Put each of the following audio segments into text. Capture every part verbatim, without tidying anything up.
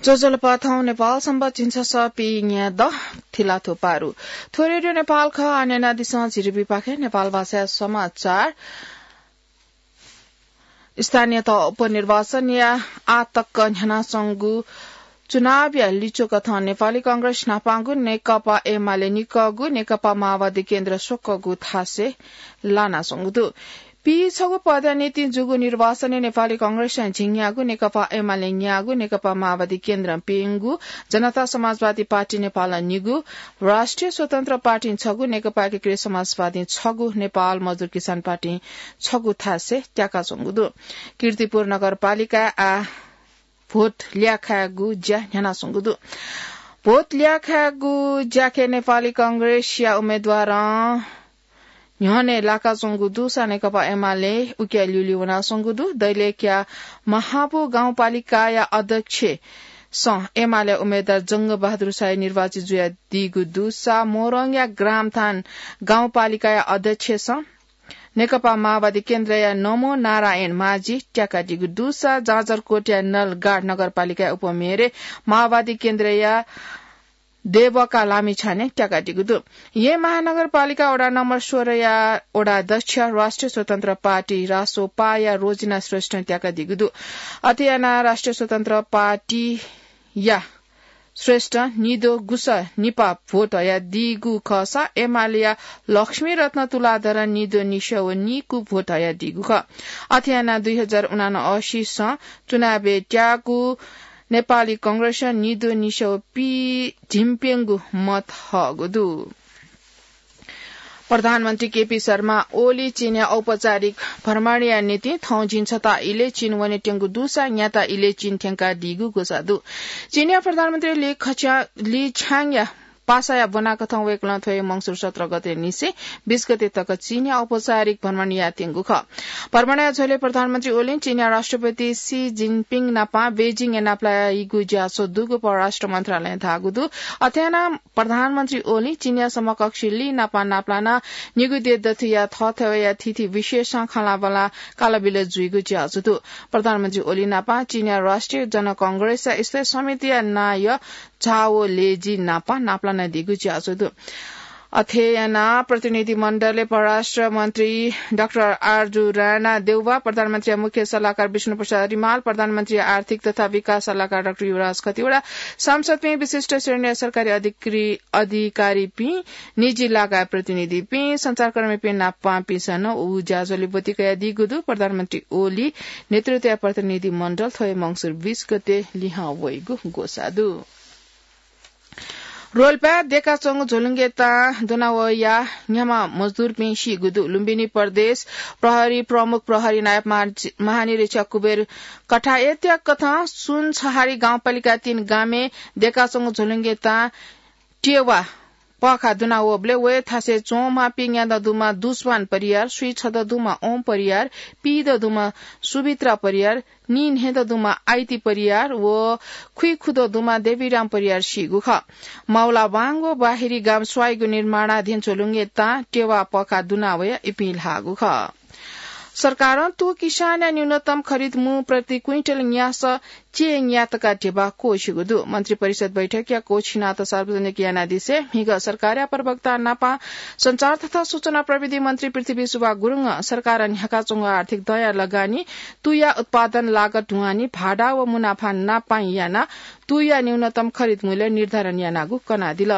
ज्वजलपा, थौं नेपाल संवत् झिंछसः पीन्या दह, थिलाथ्व पारु। थ्व रेडियो नेपाल खः। आः न्यनादिसँ झिरिबिपाखे नेपाल भाषाया समाचार। स्थानीय तह उपनिर्वाचनया आः तक न्ह्यानाच्वंगु चुनावया लिच्वकथं नेपाली कांग्रेस न्हापांगु, नेकपा एमाले निकःगु, नेकपा माओवादी केन्द्र स्वकःगु थासय् लानाच्वंगु दु। पीछगू पदया निंतिं जूगु निर्वाचनय् नेपाली कांग्रेसं झिंन्यागू, नेकपा एमाले न्यागू, नेकपा माओवादी केन्द्रं प्यंगू, जनता समाजवादी पार्टी नेपालं निगू, राष्ट्रिय स्वतन्त्र पार्टीं छगू, नेकपा एकीकृत समाजवादीं छगू, नेपाल मजदुर किसान पार्टीं छगू थासय् त्याकाच्वंगु दु। कीर्तिपुर नगरपालिकाय् आः भोट ल्याखायेगु ज्या न्ह्यानाच्वंगु दु। भोट ल्याखायेगु ज्याखँय् नेपाली कांग्रेसया उम्मेदवारं न्ह्यःने लाकाच्वंगु दुसा नेकपा एमाले उकिया ल्यूल्यू वनाच्वंगु दु। दैलेखया महाबु गाउँपालिकाया अध्यक्षसं एमाले उम्मेदवार जंगबहादुर शाही निर्वाचित जुयादीगु दुसा मोरङया ग्रामथान गाउँपालिकाया अध्यक्षसं नेकपा माओवादी केन्द्रया नमो नारायण माझी त्याकादीगु दुसा जाजरकोटया नलगाड नगरपालिकाया उपमेयरय् माओवादी केन्द्रया देवका लामिछाने त्याकादीगु दु। येँ महानगरपालिका वडा नम्बर सोह्रया वडा अध्यक्ष राष्ट्रिय स्वतन्त्र पार्टी, रासोपाया रोजिना श्रेष्ठं त्याकादीगु दु। अथे यानाः राष्ट्रिय स्वतन्त्र पार्टीया श्रेष्ठं निद्वः गुसः निपा भोट हयादीगु खःसा एमालेया लक्ष्मीरत्न तुलाधरं निद्वः निस्याः व निकू भोट हयादीगु खः। अथे यानाः दुई हजार उनान्सयसं चुनावय् त्याःगु नेपाली कांग्रेसं निद्वः निस्याः व पीझिंप्यंगू मत हःगु दु। प्रधानमन्त्री केपी शर्मा ओली चीनया औपचारिक भ्रमणया निंतिं थौं झिंछता इलय् चीन वनेत्यंगु दुसा न्याता इलय् चीन थ्यंकादीगु ग्वसाः दु। चीनया प्रधानमन्त्री ली खच्या-, ली छ्याङया पासाया ब्वनाकथं वय्कलं थ्व हे मंगसिर सत्र गते निसें बीस गते तक चीनया औपचारिक भ्रमण यायेत्यंगु खः। भ्रमणया झ्वलय् प्रधानमन्त्री ओलीं चीनया राष्ट्रपति सी जिनपिङ नाप बेजिङय् नापलाइगु ज्याझ्वः दुगु परराष्ट्र मन्त्रालयं धाःगु दु। अथे यानाः प्रधानमन्त्री ओलीं चीनया समकक्षी ली नाप नापलानाः निगू देय् दथुया थःथवय्या थीथी विषयसं खँल्हाबल्हा कालाबिल जुइगु ज्याझ्वः दु। प्रधानमन्त्री ओली नाप चीनया राष्ट्रिय जनकांग्रेसया स्थायी समितिया नायः झाओ लेजी नाप नापलानादीगु ज्याझ्वः दु। अथे यानाः प्रतिनिधि मण्डलय् परराष्ट्र मन्त्री डाक्टर आरजु राणा देउवा, प्रधानमन्त्रीया मुख्य सल्लाहकार विष्णु प्रसाद रिमाल, प्रधानमन्त्रीया आर्थिक तथा विकास सल्लाहकार डाक्टर युवराज खतिवडा, सांसदपिं, विशिष्ट श्रेणीया सरकारी अधिकृ-, अधिकारीपिं, निजी लगायत प्रतिनिधिपिं, सञ्चारकर्मीपिं नापपिंसं नं उ ज्याझ्वलय् ब्वति कयादीगु दु। प्रधानमन्त्री ओली नेतृत्वया प्रतिनिधि मण्डल थ्व हे मंगसिर बीस गते लिहां वइगु ग्वसाः दु। रोल्पाय् देकाच्वंगु झ्वलुंगय् तां दुना वयाः न्ह्याम्ह मजदुरपिं सीगु दु। लुम्बिनी प्रदेश प्रहरी प्रमुख प्रहरी नायब महा-, महानिरीक्षक कुबेर कठाय्‌या कथं सुनछहारी गाउँपालिका तीन गामय् देकाच्वंगु झ्वलुंगय् तां टेवा पःखाः दुना वःबलय् वया थासय् च्वंम्ह पिंग्यादँ दुम्ह दुस्वान परियार, स्वीछदँ दुम्ह ओम परियार, पीदँ दुम्ह सुभित्रा परियार, नीन्हय्‌दँ दुम्ह आइती परियार व खुइखुदँ दुम्ह देवीराम परियार सीगु खः। माउलाबाङ व बाहिरी गाम स्वाइगु निर्माणाधीन झ्वलुंगय् तां टेवा पःखाः दुना वयाः इपिं ल्हाःगु खः। सरकारं तू किसानया न्यूनतम खरिद मू प्रति क्विन्टल न्यासः च्यय् न्यातका ध्यबा क्वःछिगु दु। मन्त्रिपरिषद बैठकया क्वःछिनात सार्वजनिक यानादिसे म्हिगः सरकारया प्रवक्ता नापं सञ्चार तथा सूचना प्रविधि मन्त्री पृथ्वी सुब्बा गुरुङं सरकारं न्ह्याकाच्वंगु आर्थिक दँया लगानी, तूया उत्पादन लागत ढुवानी, भाडा व मुनाफा नापं यानाः तूया न्यूनतम खरिद मूल्य निर्धारण यानागु कनादिल।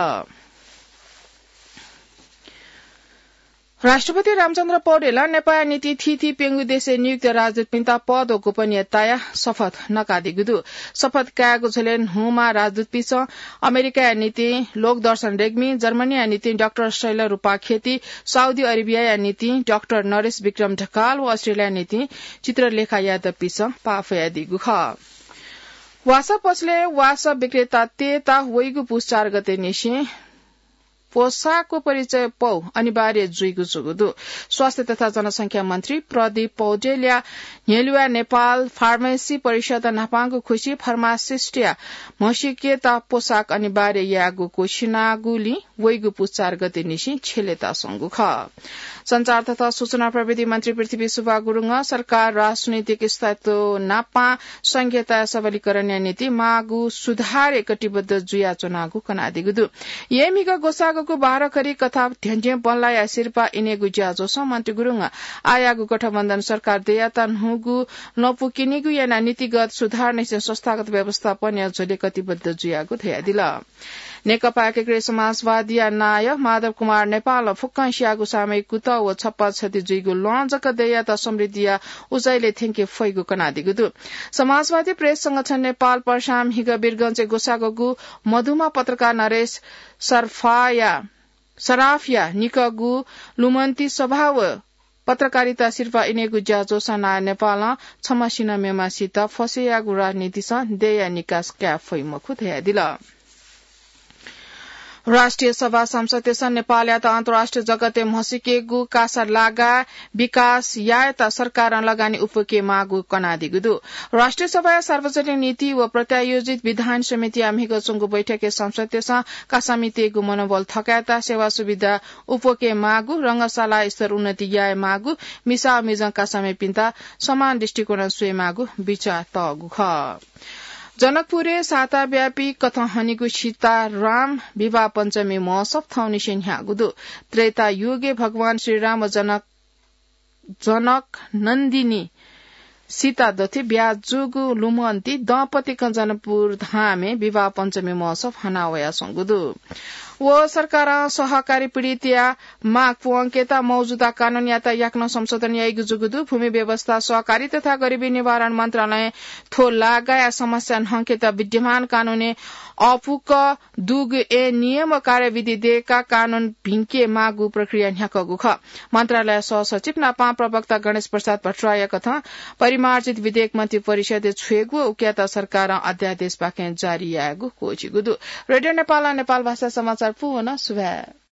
राष्ट्रपति रामचन्द्र पौडेलं नेपाःया निंतिं थीथी प्यंगू देशय् नियुक्त राजदूतपिन्त पद व गोपनीयताया शपथ नकादीगु दु। शपथ कायेगु झ्वलय् न्हूम्ह राजदूतपिन्सं अमेरिकाया निंतिं लोकदर्शन रेग्मी, जर्मनीया निंतिं डाक्टर शैलरूपा खेती, साउदी अरेबियाया निंतिं डाक्टर नरेश विक्रम ढकाल व अस्ट्रेलियाया निंतिं चित्रलेखा यादवपिन्सं पाः फ्वयादीगु खः। वासः पसलय् वासः विक्रेतातय्त वइगु पुस चार गते निसें पोशाकको परिचय पौ अनिवार्य जुइगु जूगु दु। स्वास्थ्य तथा जनसंख्या मन्त्री प्रदीप पौडेलया न्ह्यलुवा नेपाल फार्मेसी परिषद न्हापांगु खुसी फार्मासिस्टया म्हसीकेत पोशाक अनिवार्य यायेगु क्वसिनागुलिं वइगु पुचार गते निसें छ्यलेत संगु खः। सञ्चार तथा सूचना प्रविधि मन्त्री पृथ्वी सुब्बा गुरुङं सरकार राजनैतिक स्थायित्व नापं संघीयताया सबलीकरणया निंतिं माःगु सुधारय् कटिबद्ध जुयाच्वनागु कनादीगु दु। येँमिगः ग्वसाःगःगु बाह्रखरी कथं धेंधें बल्लाया सिरपाः इनेगु ज्याझ्वलय् मन्त्री गुरुङं आःयाःगु गठबन्धन सरकार दयात न्हूगु लँपु किनिगु यानाः नीतिगत सुधार निसें संस्थागत व्यवस्थापनया झ्वलय् कटिबद्ध जुयागु धयादिल। नेकपा एकीकृत समाजवादीया नायः माधव कुमार नेपालं फुक्कं स्याःगु सामयिक कुतः व छप्पा छति जुइगु लँ जक दयात समृद्धिया उचाइलय् थ्यंके फइगु कनादीगु दु। समाजवादी प्रेस संगठन नेपाल पर्सा म्हिगः वीरगंजय् ग्वसाःगःगु मधुमा पत्रकार नरेश सर्फाया, सराफया निकःगु लुमन्ती सभा व पत्रकारिता सिरपाः इनेगु ज्याझ्वलय् नायः नेपालं छम्हसिनं मेम्हसित फसेयाःगु राजनीतिसं देय्‌या निकास काये फइ मखु धयादिल। राष्ट्रिय सभा सांसदतय्‌सं नेपालयात अन्तर्राष्ट्रिय जगतय् म्हसीकेगु कासा लागाय् विकास यायेत सरकारं लगानी उपुके माःगु कनादीगु दु। राष्ट्रिय सभाया सार्वजनिक नीति व प्रत्यायोजित विधान समितिया म्हिगः च्वंगु बैठकय् सांसदतय्‌सं कासामितय्‌गु मनोबल थकायेत सेवा सुविधा उपुके माःगु, रंगशाला स्तर उन्नति याये माःगु, मिसा व मिजं कासामिपिन्त समान दृष्टिकोणं स्वये माःगु बिचाः तःगु खः। जनकपुरय् साताव्यापी कथं हनीगु सीताराम विवाह पञ्चमी महोत्सव थौंनिसें न्ह्याःगु दु। त्रेता युगय् भगवान श्रीराम व जनक, जनक नन्दिनी सीता दथुइ ब्याहा जूगु लुमन्ती दम्पतिकं जनकपुर धामय् विवाह पञ्चमी महोत्सव हना वयाच्वंगु दु। व सरकारं सहकारी पीडितया माग पूवंकेत मौजुदा कानूनयात याकनं संशोधन याइगु जूगु दु। भूमि व्यवस्था, सहकारी तथा गरिबी निवारण मन्त्रालयं थ्व लागाया समस्या न्हंकेत विद्यमान कानूनय् अःपुक दुगु ऐन नियम व कार्यविधि दयेकाः कानून भिंके माःगु प्रक्रिया न्ह्याकःगु खः। मन्त्रालय सहसचिव नापं प्रवक्ता गणेश प्रसाद भट्टराईया कथं परिमार्जित विधेयक मन्त्री परिषदय् छ्वयेगु व उकियात सरकारं अध्यादेशपाखें जारी यायेगु क्वःछिगु दु। रेडियो नेपालं नेपाल भाषा समाचार पूवन सुभाय्।